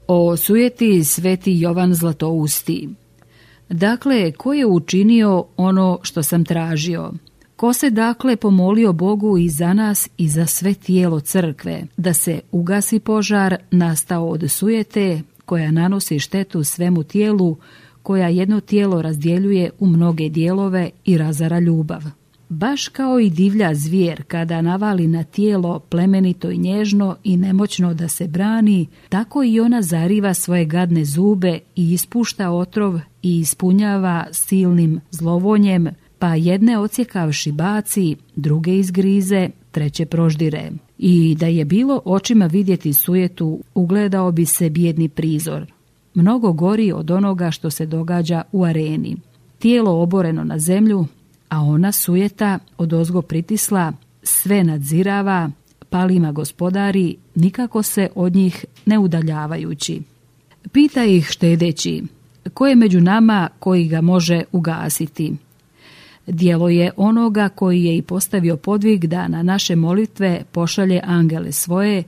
O sujeti sveti Jovan Zlatousti. Dakle, ko je učinio ono što sam tražio? Ko se dakle pomolio Bogu i za nas i za sve tijelo crkve, da se ugasi požar nastao od sujete koja nanosi štetu svemu tijelu, koja jedno tijelo razdjeljuje u mnoge dijelove i razara ljubav. Baš kao i divlja zvijer kada navali na tijelo plemenito i nježno i nemoćno da se brani, tako i ona zariva svoje gadne zube i ispušta otrov i ispunjava silnim zlovonjem, pa jedne odsjekavši baci, druge izgrize, treće proždire. I da je bilo očima vidjeti sujetu, ugledao bi se bijedni prizor. Mnogo gori od onoga što se događa u areni. Tijelo oboreno na zemlju, a ona sujeta odozgo pritisla, sve nadzirava, palima gospodari, nikako se od njih ne udaljavajući. Pita ih štedeći, ko je među nama koji ga može ugasiti? Djelo je onoga koji je i postavio podvig da na naše molitve pošalje angele svoje,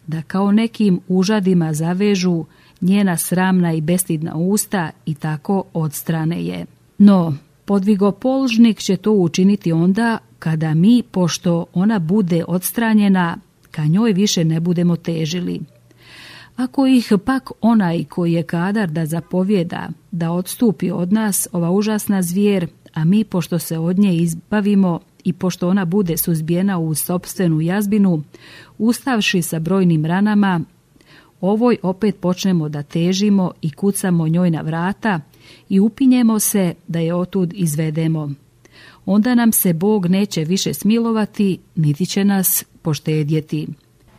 da kao nekim užadima zavežu njena sramna i bestidna usta i tako odstrane je. No, podvigopolžnik će to učiniti onda kada mi, pošto ona bude odstranjena, ka njoj više ne budemo težili. Ako ih pak onaj koji je kadar da zapovjeda, da odstupi od nas ova užasna zvijer, a mi pošto se od nje izbavimo i pošto ona bude suzbijena u sopstvenu jazbinu, ustavši sa brojnim ranama, ovoj opet počnemo da težimo i kucamo njoj na vrata i upinjemo se da je otud izvedemo. Onda nam se Bog neće više smilovati, niti će nas poštedjeti.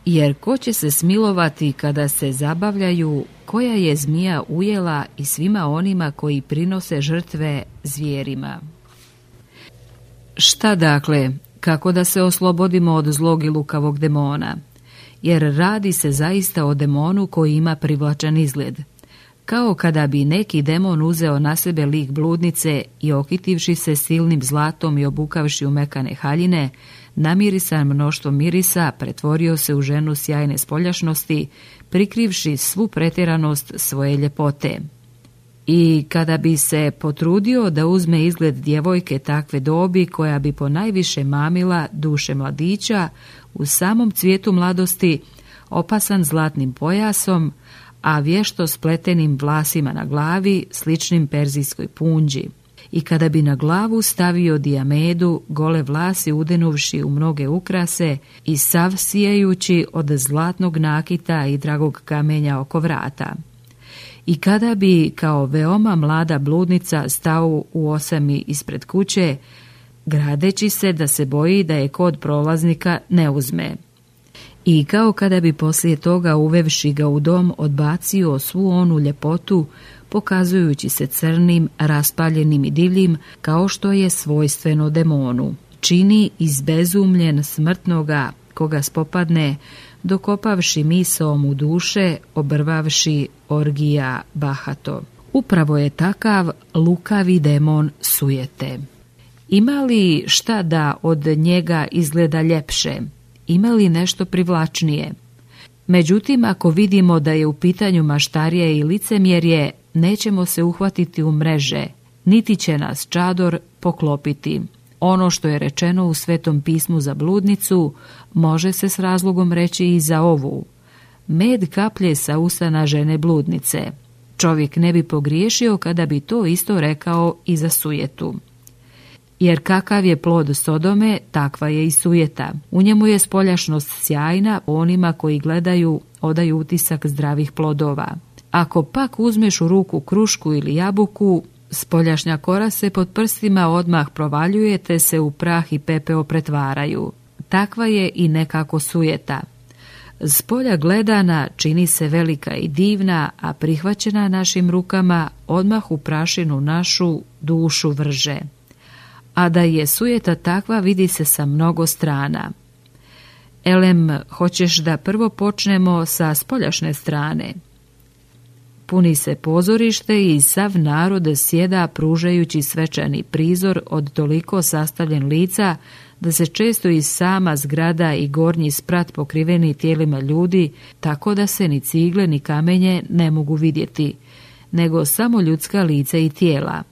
Jer ko će se smilovati kada se zabavljaju, koja je zmija ujela i svima onima koji prinose žrtve zvijerima? Šta dakle, kako da se oslobodimo od zlog i lukavog demona? Jer radi se zaista o demonu koji ima privlačan izgled. Kao kada bi neki demon uzeo na sebe lik bludnice i okitivši se silnim zlatom i obukavši u mekane haljine, namirisan mnoštvo mirisa, pretvorio se u ženu sjajne spoljašnosti, prikrivši svu pretjeranost svoje ljepote. I kada bi se potrudio da uzme izgled djevojke takve dobi koja bi ponajviše mamila duše mladića, u samom cvijetu mladosti, opasan zlatnim pojasom, a vješto spletenim vlasima na glavi, sličnim perzijskoj punđi. I kada bi na glavu stavio dijamedu, gole vlasi udenuvši u mnoge ukrase i sav sijajući od zlatnog nakita i dragog kamenja oko vrata. I kada bi kao veoma mlada bludnica stao u osami ispred kuće, gradeći se da se boji da je kod prolaznika ne uzme. I kao kada bi poslije toga uvevši ga u dom odbacio svu onu ljepotu, pokazujući se crnim, raspaljenim i divljim, kao što je svojstveno demonu. Čini izbezumljen smrtnoga koga spopadne, dokopavši misaom u duše, obrvavši orgija bahato. Upravo je takav lukavi demon sujete. Ima li šta da od njega izgleda ljepše? Ima li nešto privlačnije? Međutim, ako vidimo da je u pitanju maštarije i licemjerje, nećemo se uhvatiti u mreže, niti će nas čador poklopiti. Ono što je rečeno u Svetom pismu za bludnicu, može se s razlogom reći i za ovu. Med kaplje sa usana žene bludnice. Čovjek ne bi pogriješio kada bi to isto rekao i za sujetu. Jer kakav je plod Sodome, takva je i sujeta. U njemu je spoljašnost sjajna, onima koji gledaju odaju utisak zdravih plodova. Ako pak uzmeš u ruku krušku ili jabuku, spoljašnja kora se pod prstima odmah provaljuje te se u prah i pepeo pretvaraju. Takva je i nekako sujeta. S polja gledana čini se velika i divna, a prihvaćena našim rukama odmah u prašinu našu dušu vrže. A da je sujeta takva vidi se sa mnogo strana. Elem, hoćeš da prvo počnemo sa spoljašne strane? Puni se pozorište i sav narod sjeda pružajući svečani prizor od toliko sastavljen lica da se često i sama zgrada i gornji sprat pokriveni tijelima ljudi, tako da se ni cigle ni kamenje ne mogu vidjeti, nego samo ljudska lica i tijela.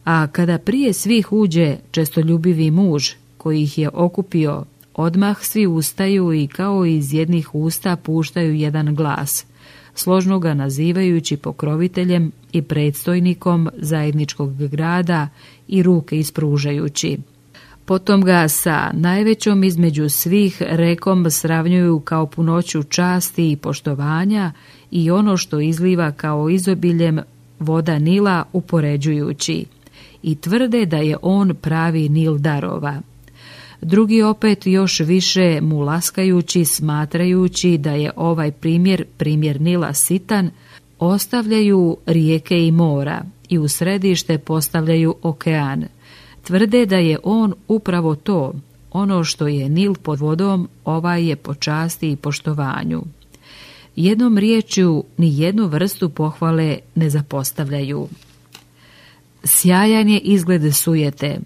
A kada prije svih uđe čestoljubivi muž koji ih je okupio, odmah svi ustaju i kao iz jednih usta puštaju jedan glas, složno ga nazivajući pokroviteljem i predstojnikom zajedničkog grada i ruke ispružajući. Potom ga sa najvećom između svih rekom sravnjuju kao punoću časti i poštovanja i ono što izliva kao izobiljem voda Nila upoređujući i tvrde da je on pravi Nil darova. Drugi opet još više mu laskajući, smatrajući da je ovaj primjer Nila sitan, ostavljaju rijeke i mora i u središte postavljaju okean. Tvrde da je on upravo to, ono što je Nil pod vodom, ovaj je po časti i poštovanju. Jednom riječju ni jednu vrstu pohvale ne zapostavljaju. Sjajan je izgled sujete.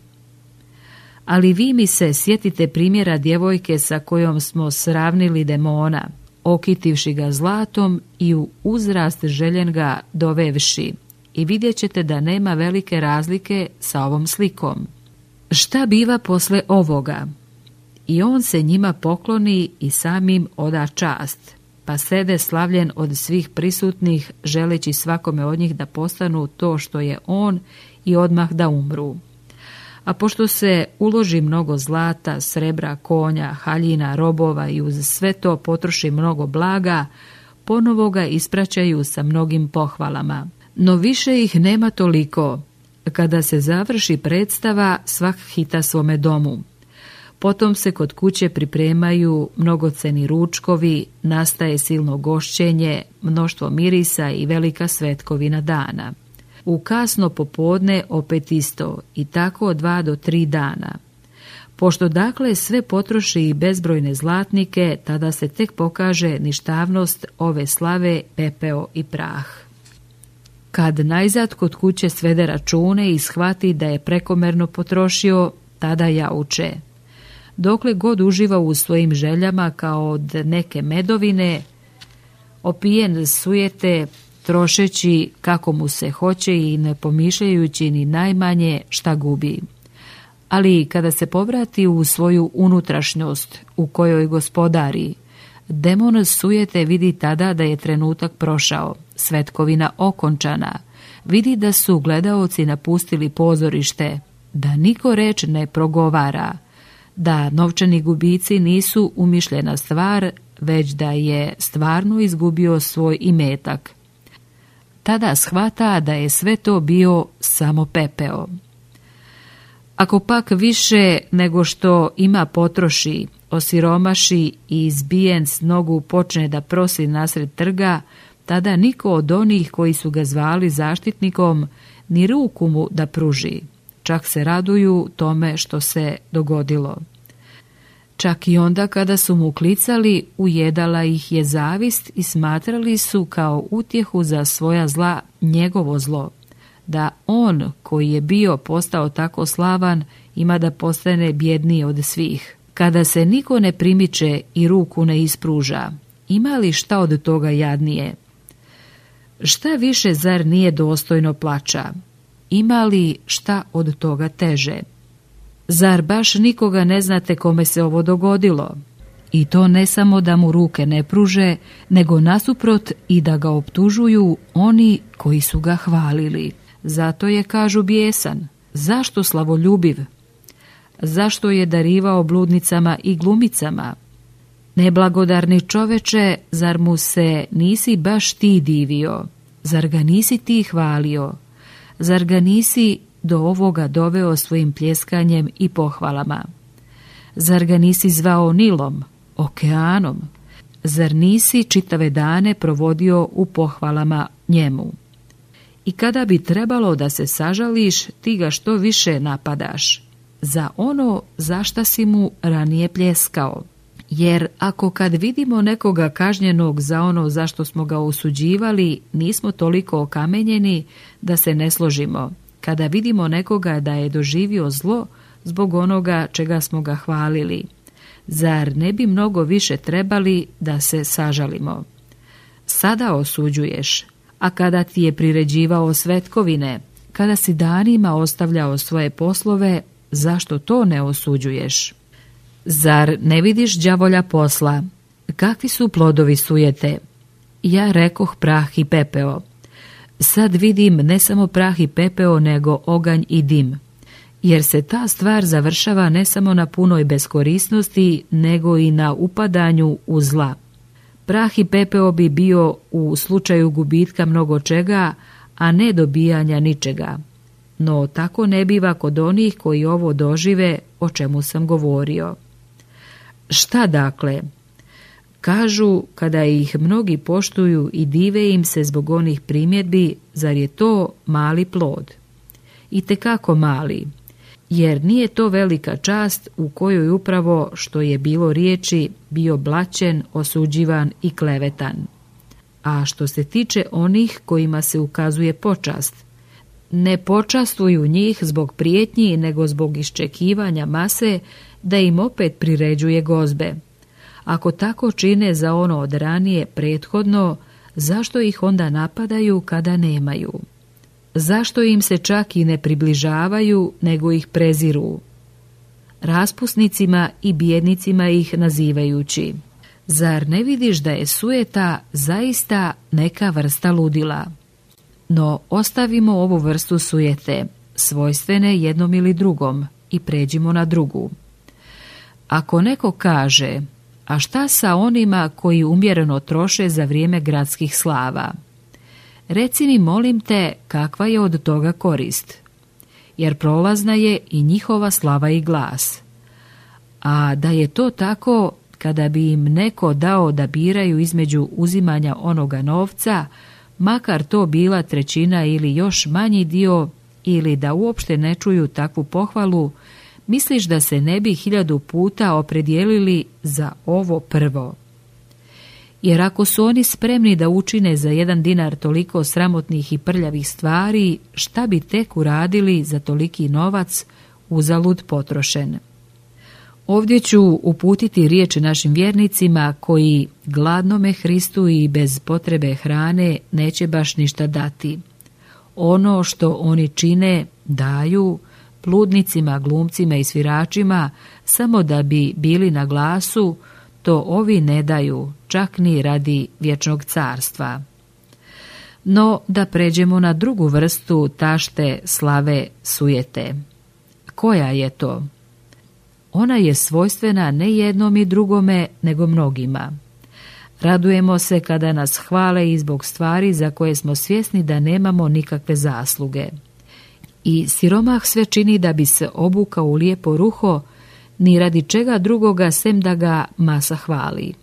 Ali vi mi se sjetite primjera djevojke sa kojom smo sravnili demona, okitivši ga zlatom i u uzrast željen ga dovevši, i vidjet ćete da nema velike razlike sa ovom slikom. Šta biva posle ovoga? I on se njima pokloni i samim oda čast, pa sede slavljen od svih prisutnih, želeći svakome od njih da postanu to što je on i odmah da umru. A pošto se uloži mnogo zlata, srebra, konja, haljina, robova i uz sve to potroši mnogo blaga, ponovo ga ispraćaju sa mnogim pohvalama. No više ih nema toliko. Kada se završi predstava, svak hita svome domu. Potom se kod kuće pripremaju mnogoceni ručkovi, nastaje silno gošćenje, mnoštvo mirisa i velika svetkovina dana. U kasno popodne opet isto i tako 2 do 3 dana. Pošto dakle sve potroši i bezbrojne zlatnike, tada se tek pokaže ništavnost ove slave, pepeo i prah. Kad najzad kod kuće svede račune i shvati da je prekomerno potrošio, tada jauče. Dokle god uživa u svojim željama kao od neke medovine, opijen sujete, trošeći kako mu se hoće i ne pomišljajući ni najmanje šta gubi. Ali kada se povrati u svoju unutrašnjost u kojoj gospodari, demon sujete vidi tada da je trenutak prošao, svetkovina okončana, vidi da su gledaoci napustili pozorište, da niko reč ne progovara, da novčani gubici nisu umišljena stvar, već da je stvarno izgubio svoj imetak. Tada shvata da je sve to bio samo pepeo. Ako pak više nego što ima potroši, osiromaši i izbijen s nogu počne da prosi nasred trga, tada niko od onih koji su ga zvali zaštitnikom ni ruku mu da pruži. Čak se raduju tome što se dogodilo. Čak i onda kada su mu klicali, ujedala ih je zavist i smatrali su kao utjehu za svoja zla njegovo zlo, da on koji je bio postao tako slavan ima da postane bjedniji od svih. Kada se niko ne primiče i ruku ne ispruža, ima li šta od toga jadnije? Šta više zar nije dostojno plača? Ima li šta od toga teže? Zar baš nikoga ne znate kome se ovo dogodilo? I to ne samo da mu ruke ne pruže, nego nasuprot i da ga optužuju oni koji su ga hvalili. Zato je, kažu, bijesan. Zašto slavoljubiv? Zašto je darivao bludnicama i glumicama? Neblagodarni čoveče, zar mu se nisi baš ti divio? Zar ga nisi ti hvalio? Zar ga nisi do ovoga doveo svojim pljeskanjem i pohvalama? Zar ga nisi zvao Nilom, okeanom? Zar nisi čitave dane provodio u pohvalama njemu? I kada bi trebalo da se sažališ, ti ga što više napadaš za ono za šta si mu ranije pljeskao. Jer ako kad vidimo nekoga kažnjenog za ono za što smo ga osuđivali, nismo toliko okamenjeni da se ne složimo. Kada vidimo nekoga da je doživio zlo, zbog onoga čega smo ga hvalili. Zar ne bi mnogo više trebali da se sažalimo? Sada osuđuješ, a kada ti je priređivao svetkovine, kada si danima ostavljao svoje poslove, zašto to ne osuđuješ? Zar ne vidiš đavolja posla? Kakvi su plodovi sujete? Ja rekoh prah i pepeo. Sad vidim ne samo prah i pepeo, nego oganj i dim. Jer se ta stvar završava ne samo na punoj beskorisnosti, nego i na upadanju u zla. Prah i pepeo bi bio u slučaju gubitka mnogo čega, a ne dobijanja ničega. No tako ne biva kod onih koji ovo dožive, o čemu sam govorio. Šta dakle? Kažu, kada ih mnogi poštuju i dive im se zbog onih primjedbi, zar je to mali plod? Itekako mali, jer nije to velika čast u kojoj upravo, što je bilo riječi, bio blaćen, osuđivan i klevetan. A što se tiče onih kojima se ukazuje počast, ne počastuju njih zbog prijetnji, nego zbog iščekivanja mase da im opet priređuje gozbe. Ako tako čine za ono od ranije prethodno, zašto ih onda napadaju kada nemaju? Zašto im se čak i ne približavaju, nego ih preziru? Raspusnicima i bijednicima ih nazivajući. Zar ne vidiš da je sujeta zaista neka vrsta ludila? No ostavimo ovu vrstu sujete, svojstvene jednom ili drugom, i pređimo na drugu. Ako neko kaže, a šta sa onima koji umjereno troše za vrijeme gradskih slava? Reci mi, molim te, kakva je od toga korist? Jer prolazna je i njihova slava i glas. A da je to tako, kada bi im neko dao da biraju između uzimanja onoga novca, makar to bila trećina ili još manji dio, ili da uopšte ne čuju takvu pohvalu, misliš da se ne bi 1000 puta opredijelili za ovo prvo? Jer ako su oni spremni da učine za 1 dinar toliko sramotnih i prljavih stvari, šta bi tek uradili za toliki novac uzalud potrošen? Ovdje ću uputiti riječ našim vjernicima koji gladnome Hristu i bez potrebe hrane neće baš ništa dati. Ono što oni čine, daju pludnicima, glumcima i sviračima samo da bi bili na glasu, to ovi ne daju, čak ni radi vječnog carstva. No, da pređemo na drugu vrstu tašte slave sujete. Koja je to? Ona je svojstvena ne jednom i drugome, nego mnogima. Radujemo se kada nas hvale i zbog stvari za koje smo svjesni da nemamo nikakve zasluge. I siromah sve čini da bi se obukao u lijepo ruho, ni radi čega drugoga sem da ga masa hvali.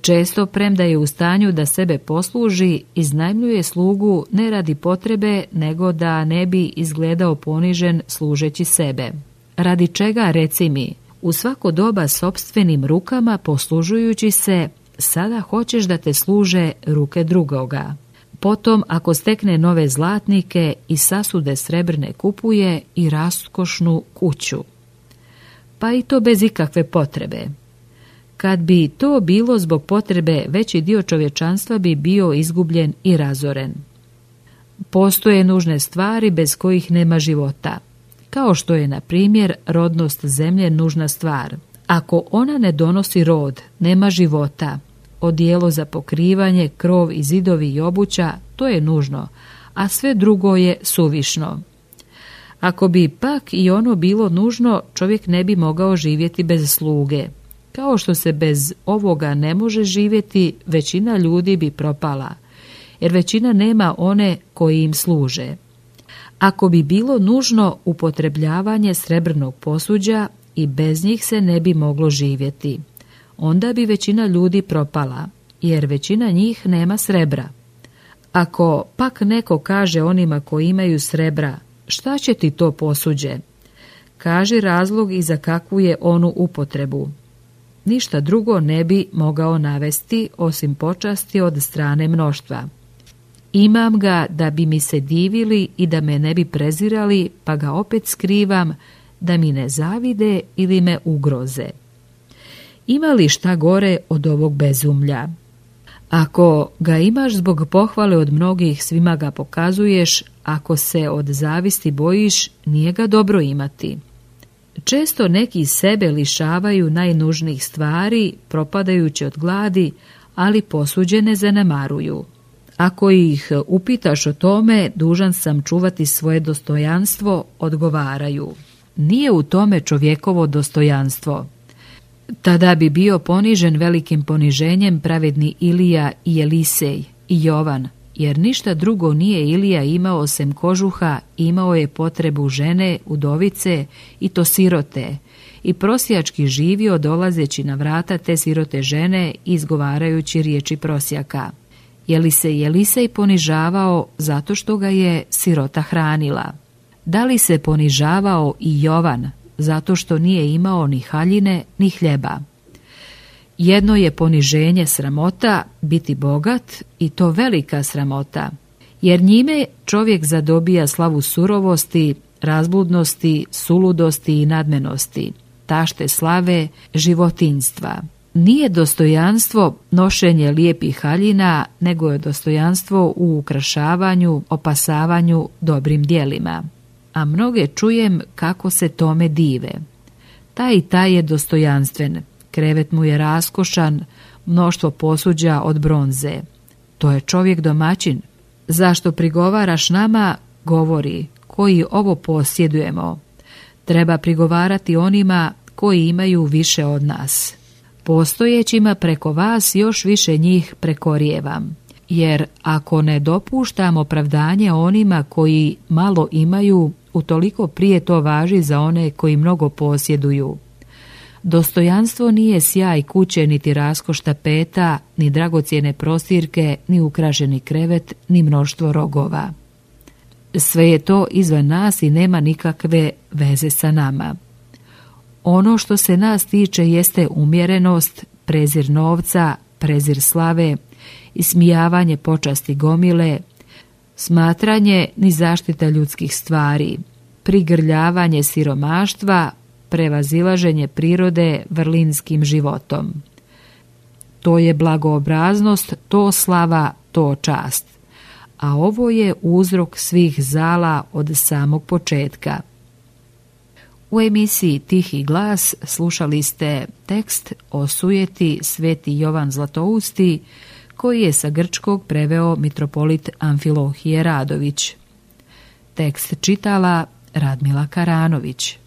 Često, premda je u stanju da sebe posluži, iznajmljuje slugu ne radi potrebe, nego da ne bi izgledao ponižen služeći sebe. Radi čega, reci mi, u svako doba sopstvenim rukama poslužujući se, sada hoćeš da te služe ruke drugoga. Potom, ako stekne nove zlatnike i sasude srebrne kupuje i raskošnu kuću. Pa i to bez ikakve potrebe. Kad bi to bilo zbog potrebe, veći dio čovječanstva bi bio izgubljen i razoren. Postoje nužne stvari bez kojih nema života, kao što je, na primjer, rodnost zemlje nužna stvar. Ako ona ne donosi rod, nema života. Odijelo za pokrivanje, krov i zidovi i obuća, to je nužno, a sve drugo je suvišno. Ako bi pak i ono bilo nužno, čovjek ne bi mogao živjeti bez sluge. Kao što se bez ovoga ne može živjeti, većina ljudi bi propala, jer većina nema one koji im služe. Ako bi bilo nužno upotrebljavanje srebrnog posuđa, i bez njih se ne bi moglo živjeti. Onda bi većina ljudi propala, jer većina njih nema srebra. Ako pak neko kaže onima koji imaju srebra, šta će ti to posuđe? Kaži razlog i za kakvu je onu upotrebu. Ništa drugo ne bi mogao navesti osim počasti od strane mnoštva. Imam ga da bi mi se divili i da me ne bi prezirali, pa ga opet skrivam, da mi ne zavide ili me ugroze. Ima li šta gore od ovog bezumlja? Ako ga imaš zbog pohvale od mnogih, svima ga pokazuješ, ako se od zavisti bojiš, nije ga dobro imati. Često neki sebe lišavaju najnužnijih stvari, propadajući od gladi, ali posuđene zanemaruju. Ako ih upitaš o tome, dužan sam čuvati svoje dostojanstvo, odgovaraju. Nije u tome čovjekovo dostojanstvo. Tada bi bio ponižen velikim poniženjem pravedni Ilija i Elisej i Jovan, jer ništa drugo nije Ilija imao osim kožuha, imao je potrebu žene, udovice i to sirote, i prosjački živio dolazeći na vrata te sirote žene izgovarajući riječi prosjaka. Je li se Elisej ponižavao zato što ga je sirota hranila? Da li se ponižavao i Jovan zato što nije imao ni haljine ni hljeba? Jedno je poniženje sramota, biti bogat, i to velika sramota, jer njime čovjek zadobija slavu surovosti, razbludnosti, suludosti i nadmenosti, tašte slave, životinjstva. Nije dostojanstvo nošenje lijepih haljina, nego je dostojanstvo u ukrašavanju, opasavanju dobrim djelima. A mnoge čujem kako se tome dive. Taj i taj je dostojanstven, krevet mu je raskošan, mnoštvo posuđa od bronze. To je čovjek domaćin. Zašto prigovaraš nama, govori, koji ovo posjedujemo? Treba prigovarati onima koji imaju više od nas. Postojećima preko vas još više njih prekorijevam. Jer ako ne dopuštam opravdanje onima koji malo imaju, utoliko prije to važi za one koji mnogo posjeduju. Dostojanstvo nije sjaj kuće, niti raskoš tapeta, ni dragocjene prostirke, ni ukrašeni krevet, ni mnoštvo rogova. Sve je to izvan nas i nema nikakve veze sa nama. Ono što se nas tiče jeste umjerenost, prezir novca, prezir slave, ismijavanje počasti gomile, smatranje ni zaštita ljudskih stvari, prigrljavanje siromaštva, prevazilaženje prirode vrlinskim životom. To je blagoobraznost, to slava, to čast. A ovo je uzrok svih zala od samog početka. U emisiji Tihi glas slušali ste tekst o sujeti Sveti Jovan Zlatousti, koji je sa grčkog preveo mitropolit Amfilohije Radović. Tekst čitala Radmila Karanović.